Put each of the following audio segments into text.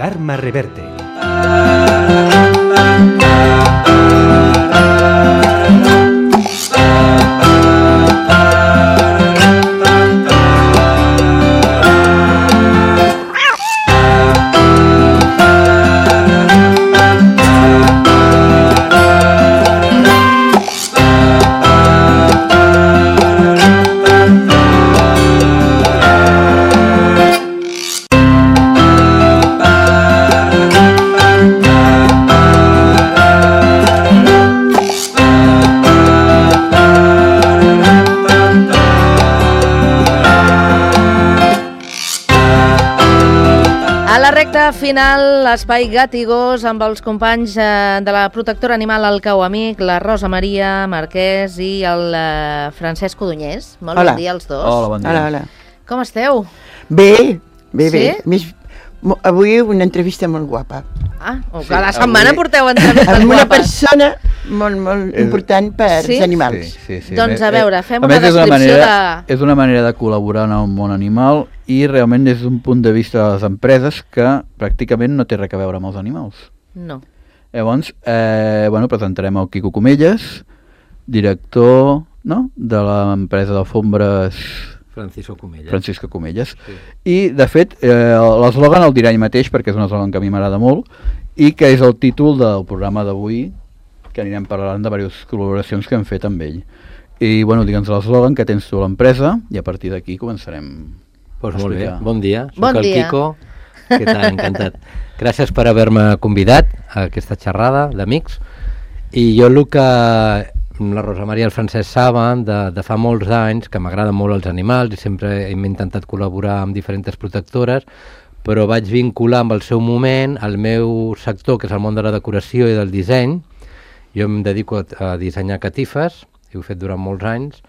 Karma Reverte. Final, l'espai Gat i Gos amb els companys de la protectora animal El Cau Amic, la Rosa Maria Marquès i el Francesc Codonyés. Molt bon dia als dos. Hola, bon dia. Hola. Com esteu? Bé. Sí? Avui una entrevista molt guapa. Cada setmana porteu entrevistes guapes. Amb una persona molt important per als animals. Sí. Doncs a veure, fem una descripció de... És una manera de col·laborar en el món animal i realment des d'un punt de vista de les empreses que pràcticament no té res a veure amb els animals. No. Llavors, presentarem el Quico Comelles, director de l'empresa d'alfombres Francisco Comelles. Sí. I, de fet, l'eslògan el dirà ell mateix perquè és un eslògan que a mi m'agrada molt i que és el títol del programa d'avui, que anirem parlant de diverses col·laboracions que hem fet amb ell. I, digue'ns l'eslògan que tens tu a l'empresa i a partir d'aquí començarem. Doncs molt bé, bon dia, Bon soc el dia. Quico, què tal, encantat. Gràcies per haver-me convidat a aquesta xerrada d'amics. I jo el que la Rosa Maria i el Francesc saben de fa molts anys que m'agraden molt els animals i sempre hem intentat col·laborar amb diferents protectores, però vaig vincular amb el seu moment el meu sector, que és el món de la decoració i del disseny. Jo em dedico a dissenyar catifes, ho he fet durant molts anys,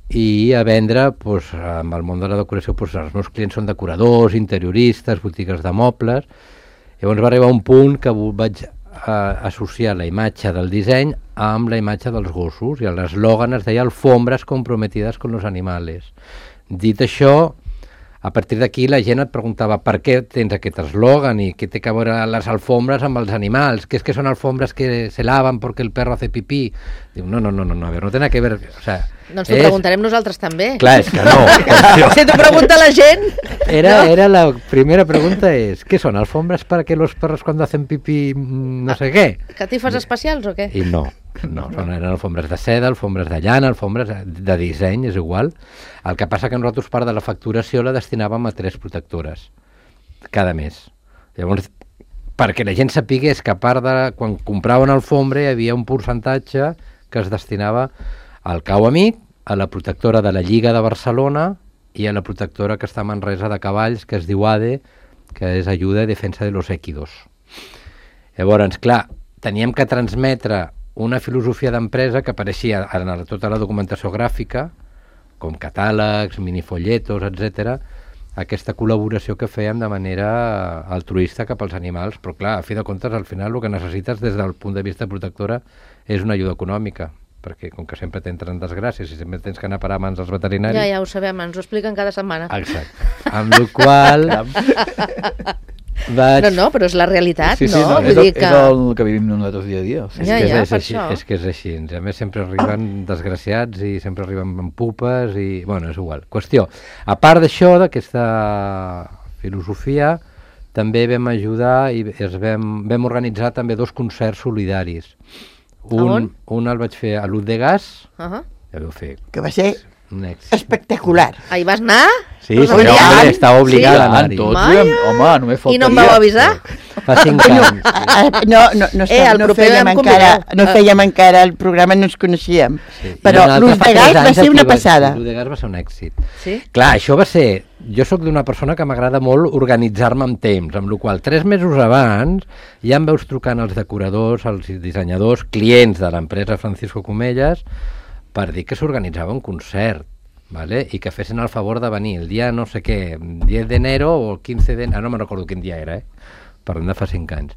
i a vendre amb el món de la decoració, els meus clients són decoradors, interioristes, botigues de mobles. Llavors va arribar un punt que vaig associar la imatge del disseny amb la imatge dels gossos i l'eslògan es deia alfombres comprometides con los animales. Dit això, a partir d'aquí la gent et preguntava per què tens aquest eslògan i què té que veure les alfombres amb els animals, que és que són alfombres que se lavan perquè el perro hace pipí. Diu, no, a ver, no té nada que ver, o sea... Doncs t'ho preguntarem nosaltres també. Clar, és que no. Si t'ho pregunta la gent... Era la primera pregunta és, ¿qué son alfombras para que los perros cuando hacen pipí no sé què? Catifes especials o què? I no, eren alfombres de seda, alfombres de llana, alfombres de disseny, és igual. El que passa que nosaltres part de la facturació la destinàvem a 3 protectores cada mes. Llavors, perquè la gent sapigués que a part de quan compraven alfombra hi havia un percentatge que es destinava al Cau Amic, a la protectora de la Lliga de Barcelona i a la protectora que està a Manresa de cavalls, que es diu ADE, que és Ajuda i Defensa de los Équidos. Llavors, clar, teníem que transmetre una filosofia d'empresa que apareixia en tota la documentació gràfica, com catàlegs, minifolletos, etc. Aquesta col·laboració que fèiem de manera altruista cap als animals, però clar, a fi de comptes, al final el que necessites des del punt de vista protectora és una ajuda econòmica, perquè com que sempre t'entren desgràcies i sempre tens que anar a parar a mans dels veterinaris... Ja ho sabem, ens ho expliquen cada setmana. Exacte. Amb la qual vaig... No, però és la realitat, Sí, no? és el que vivim nosaltres dia a dia. Sí. És que és així. A més, sempre arriben desgraciats i sempre arriben amb pupes i... Bueno, és igual. Qüestió, a part d'això, d'aquesta filosofia, també vam ajudar i vam organitzar també 2 concerts solidaris. Un el vaig fer a l'Ut de Gas, ja vau fer... Que va ser un èxit. espectacular. Ahí vas anar? Sí, estava obligada a anar-hi. Home, només faltaria. I no em vau avisar? Fa 5 anys. No fèiem encara el programa, no ens coneixíem. Però l'Ut de Gas va ser una passada. L'Ut de Gas va ser un èxit. Sí? Clar, això va ser... Jo sóc d'una persona que m'agrada molt organitzar-me amb temps, amb la qual 3 mesos abans ja em veus trucant als decoradors, als dissenyadors, clients de l'empresa Francisco Comelles, per dir que s'organitzava un concert, ¿vale? I que fessin el favor de venir el dia no sé què, 10 d'enero o el 15 d'enero, no me'n recordo quin dia era, parlem de fa 5 anys.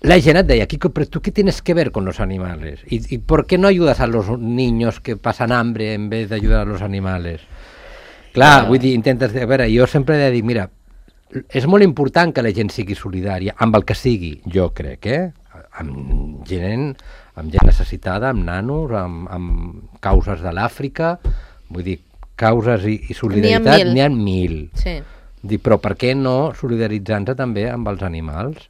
La gent et deia, Quico, pero ¿tú qué tienes que ver con los animales? ¿Y por qué no ayudas a los niños que pasan hambre en vez de ayudar a los animales? Clar, vull dir, intentes... A veure, jo sempre he de dir, mira, és molt important que la gent sigui solidària, amb el que sigui, jo crec, amb gent necessitada, amb nanos, amb causes de l'Àfrica, vull dir, causes i solidaritat n'hi ha 1.000. Sí. Dic, però per què no solidaritzar-nos també amb els animals?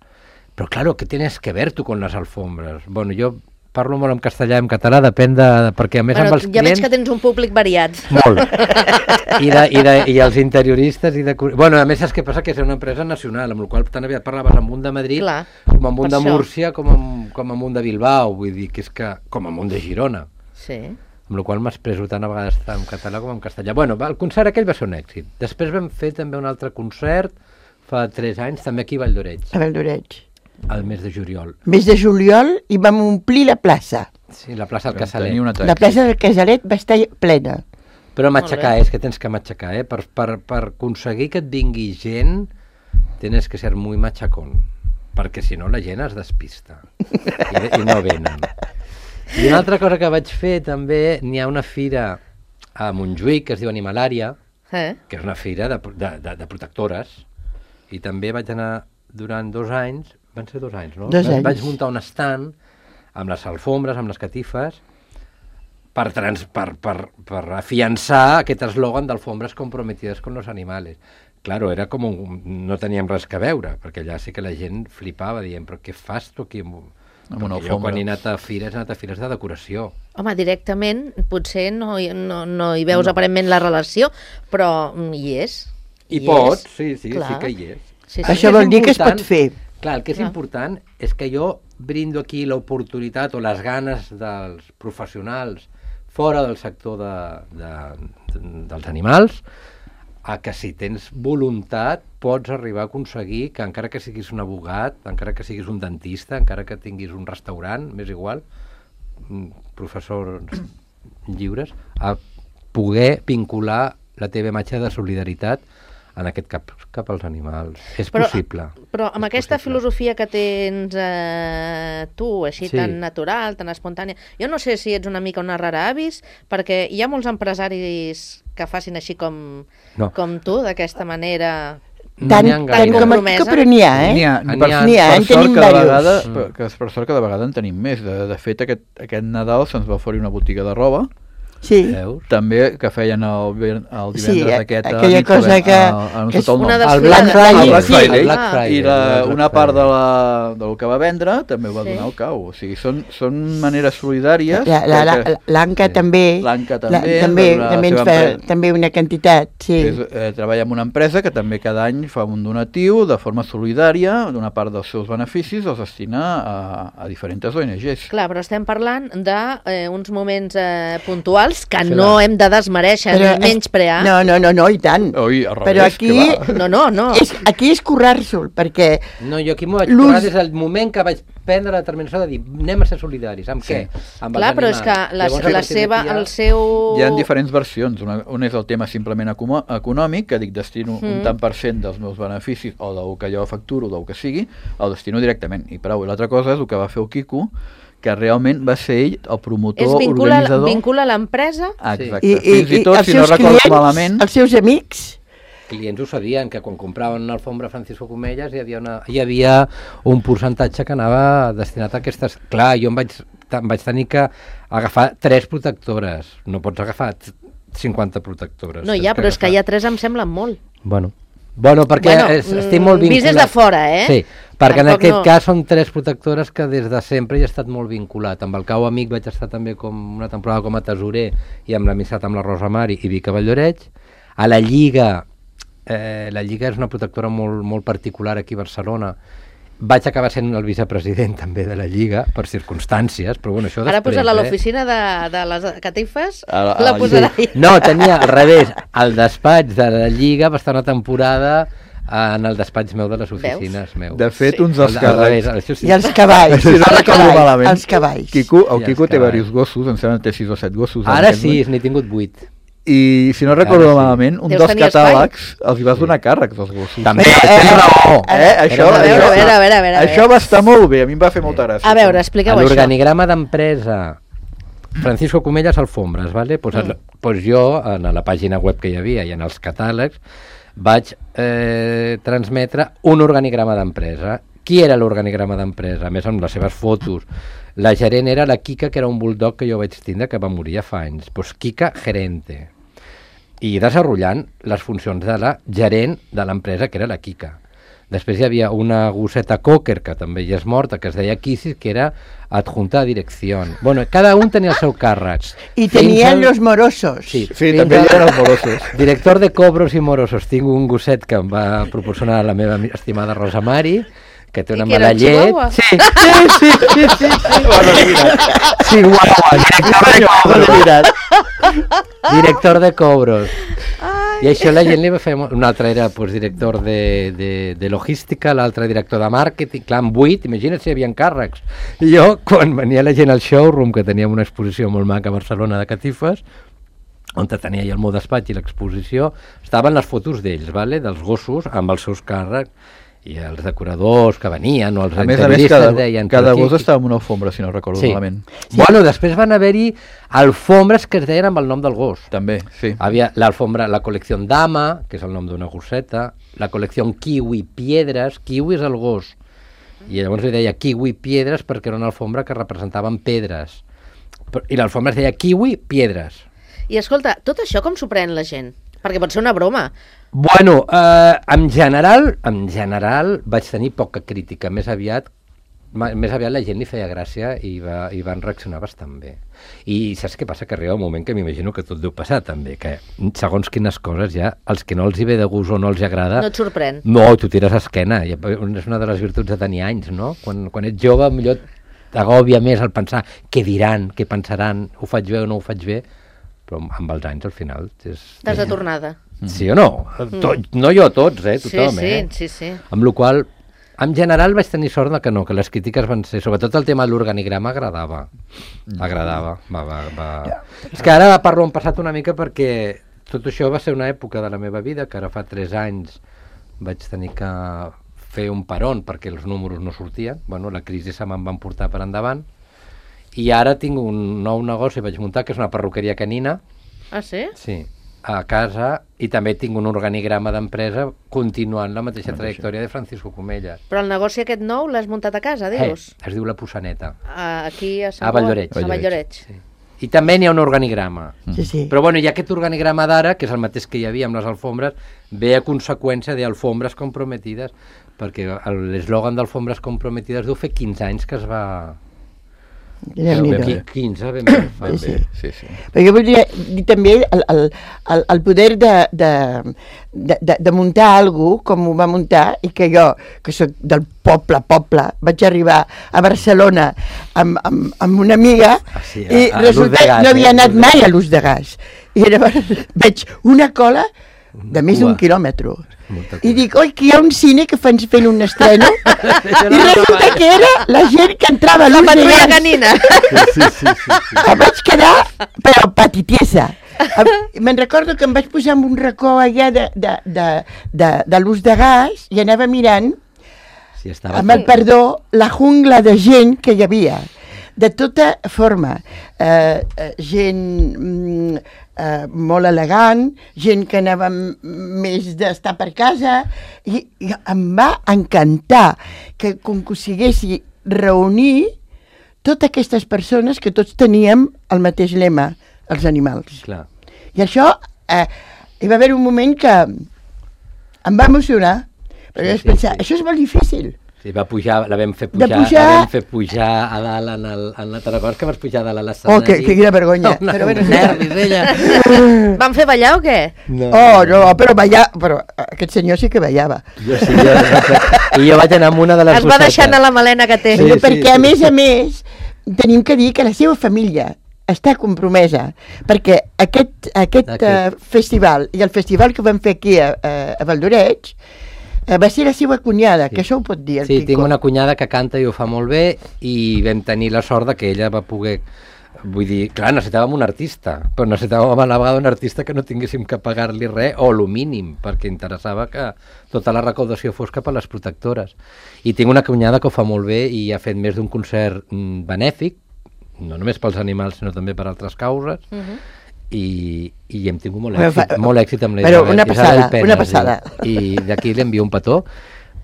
Però, claro, ¿qué tienes que ver tu con las alfombras? Bueno, jo parlo molt en castellà i en català, depèn perquè a més amb els clients... Ja veig que tens un públic variat. Molt. I els interioristes i de... Bueno, a més, saps què passa? Que és una empresa nacional, amb la qual tan aviat parlaves amb un de Madrid, Clar, com amb un de Múrcia, com amb un de Bilbao, vull dir, que és que... com amb un de Girona. Sí. Amb la qual m'expreso tant a vegades tant en català com en castellà. Bueno, el concert aquell va ser un èxit. Després vam fer també un altre concert, fa 3 anys, també aquí a Vall d'Oreig. A Vall d'Oreig. Al mes de juliol. Mes de juliol i vam omplir la plaça. Sí, la plaça del Casalet. La plaça del Casalet va estar plena. Però matxacar, és que tens que matxacar, per aconseguir que et vingui gent, tens que ser muy machacón, perquè si no la gent es despista i no venen. I una altra cosa que vaig fer també, n'hi ha una fira a Montjuïc que es diu Animalària, que és una fira de protectores, i també vaig anar durant 2 anys, van ser 2 anys, no? 2 anys. Vaig muntar un stand amb les alfombres, amb les catifes, per afiançar aquest eslògan d'alfombres comprometides con los animales. Claro, era com no teníem res que veure, perquè allà sí que la gent flipava, dient, però què fas tu aquí? Perquè jo quan he anat a fires de decoració. Home, directament potser no hi veus aparentment la relació, però hi és. I pots, sí que hi és. Sí. Això vol dir que es pot fer. Clar, el que és important és que jo brindo aquí l'oportunitat o les ganes dels professionals fora del sector dels animals, a que si tens voluntat pots arribar a aconseguir que encara que siguis un abogat, encara que siguis un dentista, encara que tinguis un restaurant, m'és igual, professors lliures, a poder vincular la teva imatge de solidaritat en aquest cap als animals. És possible. Però amb aquesta filosofia que tens tu, així tan natural, tan espontània, jo no sé si ets una mica una rara avis, perquè hi ha molts empresaris que facin així com tu, d'aquesta manera... Tant compromesa. Però n'hi ha, N'hi ha, en tenim diversos. Per sort cada vegada en tenim més. De fet, aquest Nadal se'ns va oferir una botiga de roba. Sí. També que feien el divendres aquest aquella cosa que és una desfilada. el Black Friday. I una part del que va vendre també ho va donar al cau. O sigui, són maneres solidàries. L'Anca també ens fa també una quantitat. Treballa en una empresa que també cada any fa un donatiu de forma solidària, d'una part dels seus beneficis els destina a diferents ONGs. Clar, però estem parlant d'uns moments puntuals que no hem de desmereixer ni menysprear. No, i tant. Però aquí... No. Aquí és currar-se'l, perquè... No, jo aquí m'ho vaig currar des del moment que vaig prendre la determinació de dir anem a ser solidaris. Amb què? Amb clar, però és que el seu... Hi ha diferents versions. Un és el tema simplement econòmic, que dic destino un tant per cent dels meus beneficis o del que jo facturo, del que sigui, el destino directament. I prou. I l'altra cosa és el que va fer el Quico, que realment va ser ell el promotor, organitzador... Vincula l'empresa. Exacte. Fins i tot, si no recordo malament... Els seus amics... Clients ho sabien, que quan compraven una alfombra Francisco Comellas hi havia un percentatge que anava destinat a aquestes... Clar, jo em vaig tenir que agafar 3 protectores. No pots agafar 50 protectores. No, però és que ja 3 em semblen molt. Bueno, perquè estic molt vinculat. Vist des de fora, Sí, perquè en aquest cas són 3 protectores que des de sempre hi he estat molt vinculat. Amb el Cau Amic vaig estar també una temporada com a tesorer i amb l'amistat amb la Rosa Mari i Vic a Vall d'Oreig. A la Lliga és una protectora molt particular aquí a Barcelona. Vaig acabar sent el vicepresident també de la Lliga, per circumstàncies, però bueno, això després... Ara posar-la a l'oficina de les catifes, la posarà allà. No, tenia al revés, el despatx de la Lliga va estar una temporada en el despatx meu de les oficines meu. De fet, uns dels càrrecs... I els cavalls. Si no recordo malament. Els cavalls. El Quico té diversos gossos, em sembla que té 6 o 7 gossos. Ara sí, n'he tingut 8. I si no recordo malament, un dels catàlegs els hi vas donar càrrecs als gossos. També, tens raó. Això va estar molt bé, a mi em va fer molta gràcia. A veure, expliqueu això. L'organigrama d'empresa Francisco Comellas Alfombres, ¿vale? Pues jo, en la pàgina web que hi havia i en els catàlegs, vaig transmetre un organigrama d'empresa. Qui era l'organigrama d'empresa? A més, amb les seves fotos. La gerent era la Kika, que era un bulldog que jo vaig tindre, que va morir ja fa anys. Pues Kika gerente. I desenvolupant les funcions de la gerent de l'empresa, que era la Kika. Després hi havia una gosseta cocker, que també ja és morta, que es deia Kissis, que era adjunta de direcció. Bueno, cada un tenia el seu càrrec. I tenien los morosos. Sí, també hi eren els morosos. Director de cobros i morosos. Tinc un gosset que em va proporcionar la meva estimada Rosa Mari, que té una mala llet. Sí. Director de cobros. I això la gent li va fer... Un altre era director de logística, l'altre director de màrqueting. Clar, amb 8, imagina't si hi havia càrrecs. I jo, quan venia la gent al showroom, que teníem una exposició molt maca a Barcelona de catifes, on tenia el meu despatx i l'exposició, estaven les fotos d'ells, dels gossos, amb els seus càrrecs, i els decoradors que venien, o els entrevistes deien... Cada gos estava en una alfombra, si no recordo malament. Sí. Bueno, després van haver-hi alfombres que es deien amb el nom del gos. També, sí. Havia l'alfombra, la col·lecció Dama, que és el nom d'una gosseta, la col·lecció Kiwi Piedres, Kiwi és el gos, i llavors li deia Kiwi Piedres perquè era una alfombra que representaven pedres, i l'alfombra es deia Kiwi Piedres. I escolta, tot això com s'ho pren la gent? Perquè pot ser una broma. Bueno, en general vaig tenir poca crítica, més aviat la gent li feia gràcia i van reaccionar bastant bé. I saps què passa? Que arriba un moment que m'imagino que tot deu passar també, que segons quines coses ja, els que no els hi ve de gust o no els hi agrada... No et sorprèn. No, tu tires a esquena, és una de les virtuts de tenir anys, no? Quan ets jove, millor t'agòbia més el pensar què diran, què pensaran, ho faig bé o no ho faig bé, però amb els anys al final... T'has de tornada. Sí o no? No jo, tots, tothom. Sí. Amb la qual cosa, en general vaig tenir sort que no, que les crítiques van ser, sobretot el tema de l'organigrama agradava. És que ara parlo en passat una mica perquè tot això va ser una època de la meva vida, que ara fa 3 anys vaig tenir que fer un peron perquè els números no sortien. Bueno, la crisi se me'n van portar per endavant. I ara tinc un nou negoci, vaig muntar, que és una perruqueria canina. Ah, sí? Sí, a casa, i també tinc un organigrama d'empresa continuant la mateixa trajectòria de Francisco Comelles. Però el negoci aquest nou l'has muntat a casa, dius? Es diu La Possaneta. Aquí a Valldoreix. A Valldoreix. Sí. I també n'hi ha un organigrama. Sí. Però bueno, hi ha aquest organigrama d'ara, que és el mateix que hi havia amb les alfombres, ve a conseqüència d'alfombres comprometides, perquè l'eslògan d'alfombres comprometides deu fer 15 anys que es va... 15, ben bé. Sí. Però jo voldria dir també el poder de muntar alguna cosa com ho va muntar, i que jo, que soc del poble, vaig arribar a Barcelona amb una amiga i resulta que no havia anat mai a l'Ús de Gas. I llavors veig una cola de més d'1 quilòmetre. I dic, oi, que hi ha un cine que fan fent un estreno, i resulta que era la gent que entrava a l'Ús de Gas. Canina. Sí. Em vaig quedar, però patitiesa. Me'n recordo que em vaig posar en un racó allà de l'Ús de Gas i anava mirant, amb el perdó, la jungla de gent que hi havia. De tota forma, gent molt elegant, gent que anava més d'estar per casa, i em va encantar que aconseguissi reunir totes aquestes persones que tots teníem el mateix lema, els animals. Clar. I això, hi va haver un moment que em va emocionar, perquè vaig pensar, això és molt difícil. Sí, la vam fer pujar a dalt en la Tarragona, que vas pujar a dalt a l'escenari. Oh, que quina vergonya. Però nervis, ella. Van fer ballar o què? No, però ballar, però aquest senyor sí que ballava. I jo vaig anar amb una de les es va deixar anar la melena que té. Perquè a més, tenim que dir que la seva família està compromesa, perquè aquest festival i el festival que vam fer aquí a Valldoreix va ser la seva cunyada, que això ho pot dir el Quico. Sí, tinc una cunyada que canta i ho fa molt bé, i vam tenir la sort que ella va poder... Vull dir, clar, necessitàvem un artista, però necessitàvem a la vegada un artista que no tinguéssim que pagar-li res, o lo mínim, perquè interessava que tota la recaudació fos cap a les protectores. I tinc una cunyada que ho fa molt bé i ha fet més d'un concert benèfic, no només pels animals, sinó també per altres causes, i hem tingut molt Però èxit, fa- molt èxit amb la però Isabel. una passada, Isabel Penes, una passada. I d'aquí li envio un petó,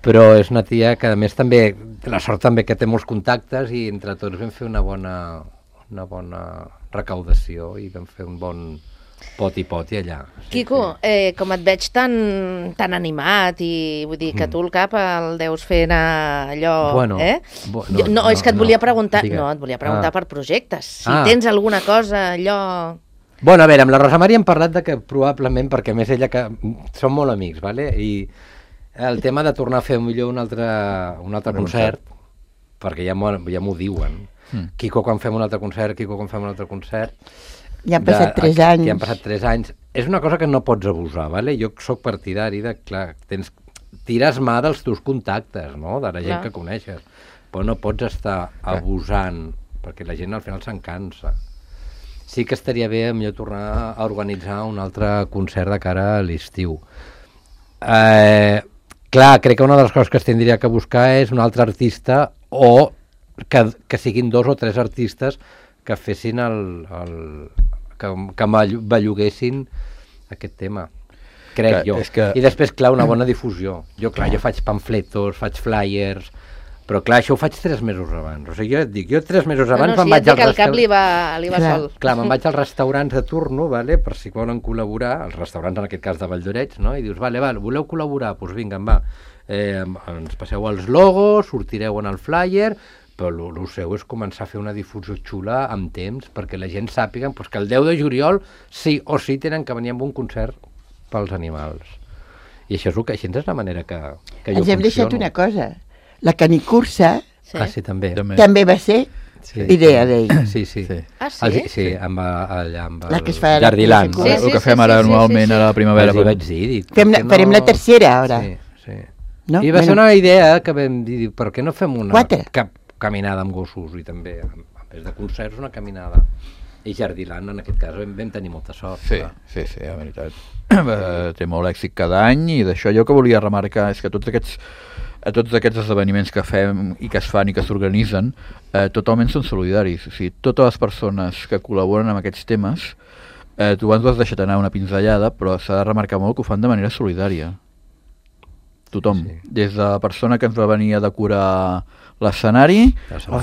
però és una tia que a més també, la sort també que té molts contactes i entre tots vam fer una bona recaudació i vam fer un bon poti allà. Quico, com et veig tan animat i vull dir que tu el cap el deus fer anar allò, Bueno, és que et volia preguntar, digues. et volia preguntar per projectes, si Ah. tens alguna cosa, allò... Bueno, a veure, amb la Rosa Maria hem parlat de que probablement, perquè a més ella que som molt amics, vale? I el tema de tornar a fer millor un altre concert, perquè ja m'ho diuen. Quico, quan fem un altre concert, Ja han passat 3 anys. Ja han passat 3 anys. És una cosa que no pots abusar, vale? Jo sóc partidari de, clar, tires mà dels teus contactes, no? De la gent Clar. que coneixes. Però no pots estar abusant, perquè la gent al final se'n cansa. Sí que estaria bé millor tornar a organitzar un altre concert de cara a l'estiu. Clar, crec que una de les coses que es tindria que buscar és un altre artista o que siguin 2 o 3 artistes que fessin que belluguessin aquest tema, crec jo. I després, clar, una bona difusió. Jo faig pamfletos, faig flyers, però clar, això ho faig 3 mesos abans. O sigui, jo et dic, 3 mesos abans me'n vaig al restaurant. El cap li va sol. Clar, me'n vaig als restaurants de turno, vale, per si volen col·laborar, els restaurants en aquest cas de Valldoreix, no? I dius, vale, voleu col·laborar? Doncs vinga, va. Ens passeu els logos, sortireu en el flyer, però el seu és començar a fer una difusió xula amb temps perquè la gent sàpiga que el 10 de juliol sí o sí tenen que venir amb un concert pels animals. I això és la manera que jo funciono. Ens hem deixat una cosa. La canicursa sí, també va ser idea d'ell. Sí. Ah, sí? Sí, amb la que es fa Jardiland. El que fem ara anualment a la primavera. Vaig dir, farem la tercera, ara. Sí. No? I va ser una idea que vam dir, per què no fem una 4? Caminada amb gossos i també, a més de concerts, una caminada. I Jardiland, en aquest cas, vam tenir molta sort. Sí, la veritat. Té molt èxit cada any i d'això jo que volia remarcar és que tots aquests esdeveniments que fem i que es fan i que s'organitzen totalment són solidaris. O sigui, totes les persones que col·laboren amb aquests temes, tu abans ho has deixat anar una pinzellada, però s'ha de remarcar molt que ho fan de manera solidària. Tothom. Des de la persona que ens va venir a decorar l'escenari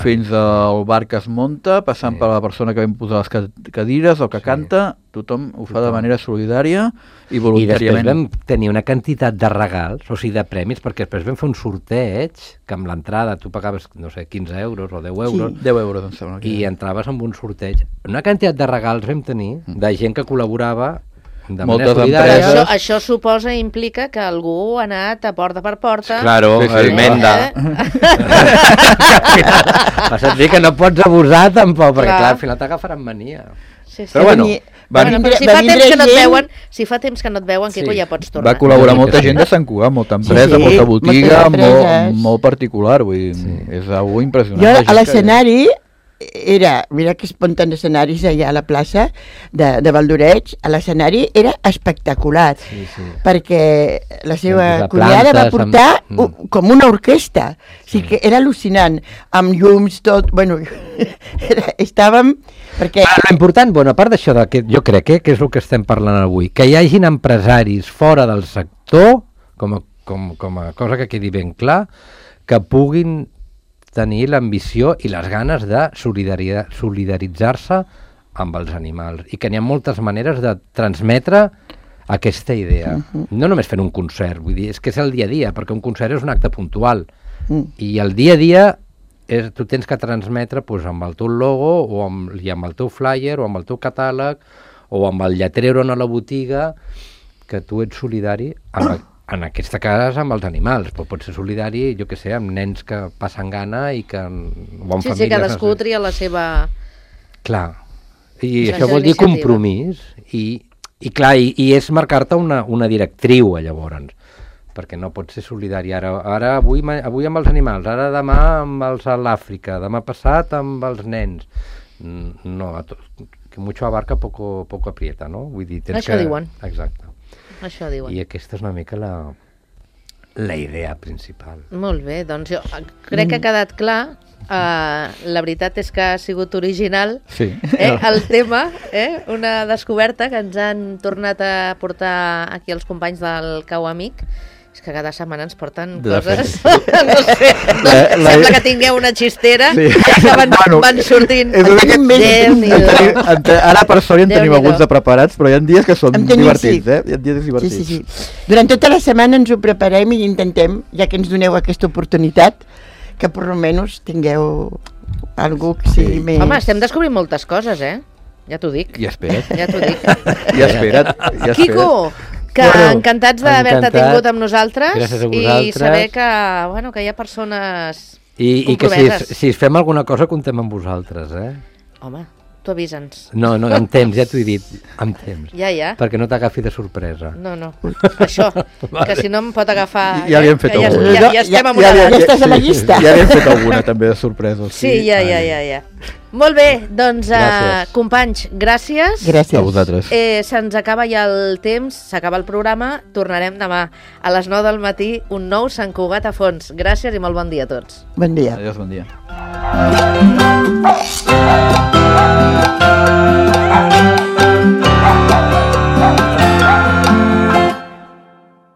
fins al bar que es munta, passant per la persona que vam posar les cadires o que canta, tothom ho fa de manera solidària i voluntàriament. I després vam tenir una quantitat de regals, o sigui, de premis, perquè després vam fer un sorteig que amb l'entrada tu pagaves, no sé, 15 euros o 10 euros. 10 euros, em sembla. I entraves amb un sorteig. Una quantitat de regals vam tenir de gent que col·laborava de manera solidària. Això suposa, implica que algú ha anat a porta per porta. Claro, el Menda. Vas a dir que no pots abusar tampoc, perquè clar, al final t'agafaran mania. Però bueno, si fa temps que no et veuen, Quico, ja pots tornar. Va col·laborar molta gent de Sant Cugat, molta empresa, molta botiga, molt particular, vull dir, és algo impressionant. Jo a l'escenari mira que es munten escenaris allà a la plaça de Valldoreix, a l'escenari era espectacular, perquè la seva cunyada va portar com una orquestra, o sigui que era al·lucinant, amb llums, tot, bueno, estàvem... L'important, a part d'això, jo crec que és el que estem parlant avui, que hi hagin empresaris fora del sector, com a cosa que quedi ben clar, que puguin tenir l'ambició i les ganes de solidaritzar-se amb els animals i que n'hi ha moltes maneres de transmetre aquesta idea. No només fent un concert, vull dir, és que és el dia a dia, perquè un concert és un acte puntual i el dia a dia tu tens que transmetre amb el teu logo i amb el teu flyer o amb el teu catàleg o amb el lletrero a la botiga que tu ets solidari en aquesta casa amb els animals, però pot ser solidari, jo què sé, amb nens que passen gana i que... Sí, cadascú tria la seva... Clar, i això vol dir compromís i clar, i és marcar-te una directriu, llavors, perquè no pot ser solidari ara avui amb els animals, ara demà amb els a l'Àfrica, demà passat amb els nens. No, que mucho abarca poco aprieta, no? Vull dir, això diuen. Exacte. Això diuen. I aquesta és una mica la idea principal. Molt bé, doncs jo crec que ha quedat clar la veritat és que ha sigut original Sí. el tema, una descoberta que ens han tornat a portar aquí els companys del Cau Amic. És que cada setmana ens porten coses, no sé, sembla que tingueu una xistera que van sortint. Ara per sort ja en tenim alguns de preparats, però hi ha dies que són divertits, Hi ha dies divertits. Sí. Durant tota la setmana ens ho preparem i intentem, ja que ens doneu aquesta oportunitat, que per almenys tingueu algú que sigui més... Home, estem descobrint moltes coses, Ja t'ho dic. I espera't. Ja t'ho dic. I espera't. Quico, que encantats d'haver-te tingut amb nosaltres. Gràcies a vosaltres. I saber que hi ha persones I que si fem alguna cosa contem amb vosaltres, Home, tu avisa'ns. No, amb temps, ja t'ho he dit, amb temps. Ja. Perquè no t'agafi de sorpresa. No. Això, que si no em pot agafar... Ja li hem fet alguna. Ja estem amorats. Ja estàs a la llista. Ja li hem fet alguna, també, de sorpresos. Sí, ja. Molt bé, doncs, companys, gràcies. A vosaltres. Se'ns acaba ja el temps, s'acaba el programa, tornarem demà a les 9 del matí, un nou Sant Cugat a fons. Gràcies i molt bon dia a tots. Bon dia. Adiós, bon dia.